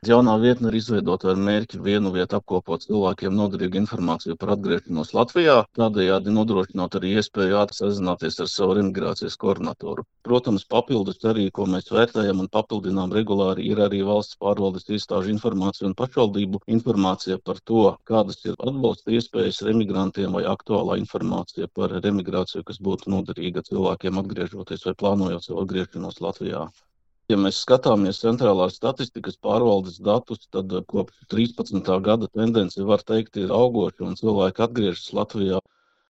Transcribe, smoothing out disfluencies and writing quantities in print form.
Jaunā vietne ir izveidota ar mērķi vienu vietu apkopot cilvēkiem noderīgu informāciju par atgriešanos Latvijā, tādējādi nodrošinot arī iespēju ātri sazināties ar savu imigrācijas koordinatoru. Protams, papildus arī, ko mēs vērtējam un papildinām regulāri, ir arī valsts pārvaldes iestāžu informācija un pašvaldību informācija par to, kādas ir atbalsta iespējas remigrantiem vai aktuālā informācija par remigrāciju, kas būtu noderīga cilvēkiem atgriežoties vai plānojot savu atgriešanos Latvijā. Ja mēs skatāmies centrālās statistikas pārvaldes datus, tad kopš 13. gada tendence var teikt ir augoša un cilvēki atgriežas Latvijā